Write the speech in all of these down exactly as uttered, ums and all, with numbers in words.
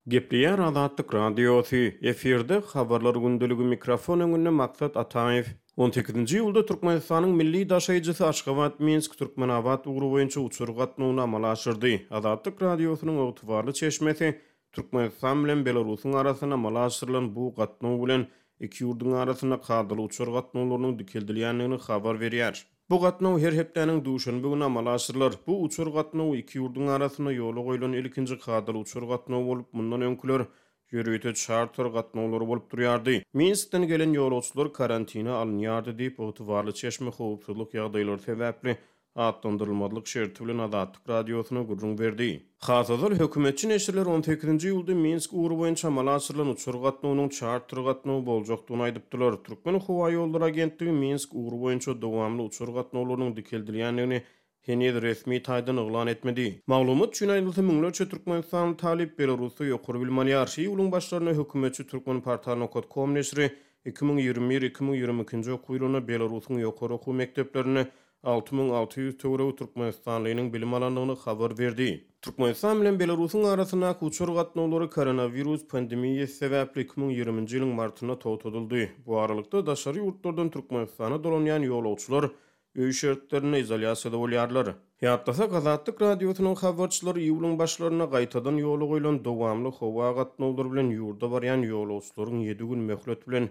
Gepleýär Azatlyk Radiosy, efirde Habarlar gündeligi, mikrofon öňünde Maksat Ataýew. On sekizinji iýulda Türkmenistanyň milli daşaýjysy Aşgabat-Minsk-Türkmenabat ugry boýunça uçar gatnawyny amala aşyrdy. Azatlyk Radiosynyň ygtybarly çeşmesi Türkmenistan bilen Belarusyň arasynda amala aşyrylan bu gatnaw bilen iki ýurduň arasynda kadaly uçar gatnawlarynyň dikeldilýändigini habar berýär. Bu gatnaw her hepdäniň duşenbe güni amala aşyrylar. Bu uçar gatnawy iki ýurduň arasynda ýola goýlan ilkinji kadaly uçar gatnawy bolup, mundan öňküler ýörite çarter gatnawlary bolup durýardy. Minskden gelen ýolagçylar karantina alynýardy diýip, ygtybarly çeşme howpsuzlyk ýagdaýlary sebäpli atlandyrylmazlyk şerti bilen Azatlyk Radiosyna gürrüň berdi. Has ozal hökümetçi neşirler on sekizinji iýulda Minsk ugry boýunça amala aşyrylan uçar gatnawynyň çarter gatnawy boljakdygyny aýdypdylar. Türkmen howa ýollary agentligi Minsk ugry boýunça dowamly uçar gatnawlarynyň dikeldilýändigini heniz resmi taýdan yglan etmedi. Maglumat üçin aýdylsa, müňlerçe türkmenistanly talyp Belarusda ýokary bilim alýar. Iýulyň başlarynda hökümetçi Türkmenportal nokta com neşiri iki müň ýigrimi bir iki müň ýigrimi ikinji okuw ýylynda Belarusyň ýokary okuw mekdeplerinde alty müň alty ýüz töweregi türkmenistanlynyň bilim alandygyny habar berdi. Türkmenistan bilen Belarusyň arasyndaky uçar gatnawlary koronawirus pandemiýasy sebäpli iki müň ýigriminji ýylyň martynda togtadyldy. Bu aralykda daşary ýurtlardan Türkmenistana dolanýan ýolagçylar öý şertlerinde izolýasiýada bolýarlar. Ýatlasak, Azatlyk Radiosynyň habarçylary iýulyň başlarynda gaýtadan ýola goýlan dowamly howa gatnawlary bilen ýurda barýan ýolagçylaryň ýedi gün möhlet bilen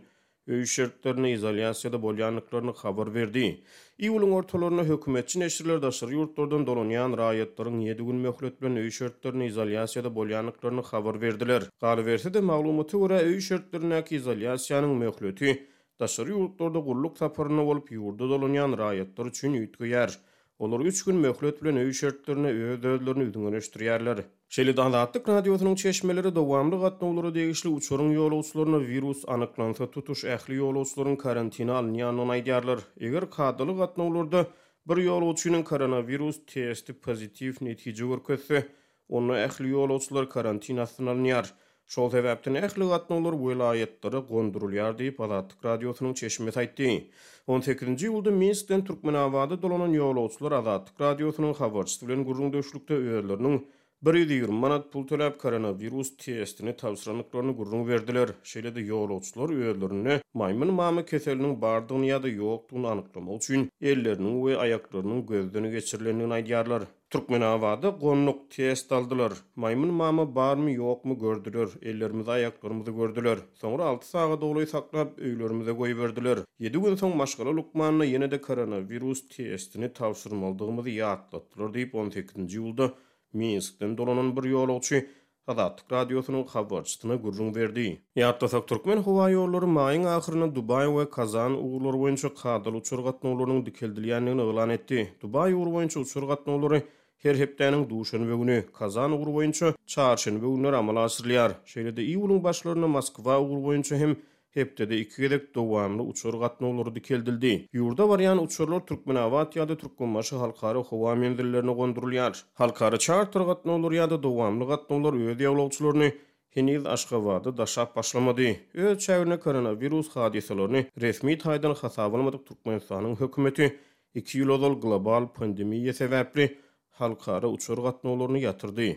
öý şertlerinde izolýasiýada bolýandyklaryny habar berdi. Iýulyň ortalarynda hökümetçi neşirler daşary ýurtlardan dolanýan raýatlaryň ýedi gün möhlet bilen öý şertlerinde izolýasiýada bolýandyklaryny habar berdiler. Galyberse-de, maglumata görä, öý şertlerindäki izolýasiýanyň möhleti daşary ýurtlarda gulluk saparynda bolup ýurda dolanýan raýatlar üçin üýtgeýär. Olar üç gün möhlet bilen öý şertlerinde öz-özlerini üzňeleşdirýärler. Şeýle-de Azatlyk Radiosynyň çeşmeleri dowamly gatnawlara degişli uçaryň ýolagçylaryna wirus anyklansa tutuş ähli ýolagçylaryň karantina alynýandygyny aýdýarlar. Eger kadaly gatnawlarda bir ýolagçynyň koronawirus testi pozitiw netije görkezse, onda ähli ýolagçylar karantin astyna alynýar. Şol sebäpden ähli gatnawlar welaýatlara gondurulýar diýip Azatlyk Radiosynyň çeşmesi aýtdy. On sekizinji iýulda Minskden Türkmenabada dolanan ýolagçylar Azatlyk Radiosynyň habarçysy bilen gürrüňdeşlikde özleriniň bir ýüz ýigrimi manat pul töläp koronawirus testini tabşyrandyklaryny gürrüň berdiler. Şeýle-de ýolagçylar özlerinde maýmyn mamy keseliniň bardygyny ýa-da ýokdugyny anyklamak üçin elleriniň we aýaklarynyň gözden geçirilendigini aýdýarlar. Türkmenabada gonduk test aldylar. Maýmyn mama barmy ýokmy gördüler. Ellerimizi aýaklarymyzy gördüler. Soňra alty sagat ogly saklap öýlerimize goýberdiler. Ýedi gün soň maşgala lukmanyna ýene-de koronawirus testini tabşyrmalydygymyzy ýatlatdylar diýip on sekizinji iýulda Minskden dolanan bir ýolagçy Azatlyk Radiosynyň habarçysyna gürrüň berdi. Ýatlasak, Türkmen howa ýollary maýyň ahyrynda Dubaý we Kazan ugurlary boýunça kadaly uçar gatnawlarynyň dikeldilýändigini yglan etdi. Dubaý ugry boýunça uçar gatnawlary her hepdäniň duşenbe güni, Kazan ugry boýunça çarşenbe günleri amala aşyrylýar. Şeýle-de iýulyň başlarynda Moskwa ugry boýunça hem hepdede iki gezek dowamly uçar gatnawlary dikeldildi. Ýurda barýan uçarlar Türkmenabat ýa-da Türkmenbaşy halkara howa menzillerine gondurylýar. Halkara çarter gatnawlary ýa-da dowamly gatnawlar öz ýolagçylaryny heniz Aşgabatda daşap başlamady. Öz çäginde koronawirus hadysalaryny resmi taýdan hasaba almadyk Türkmenistanyň hökümeti iki ýyl ozal global pandemiýa sebäpli halkara uçar gatnawlaryny ýatyrdy.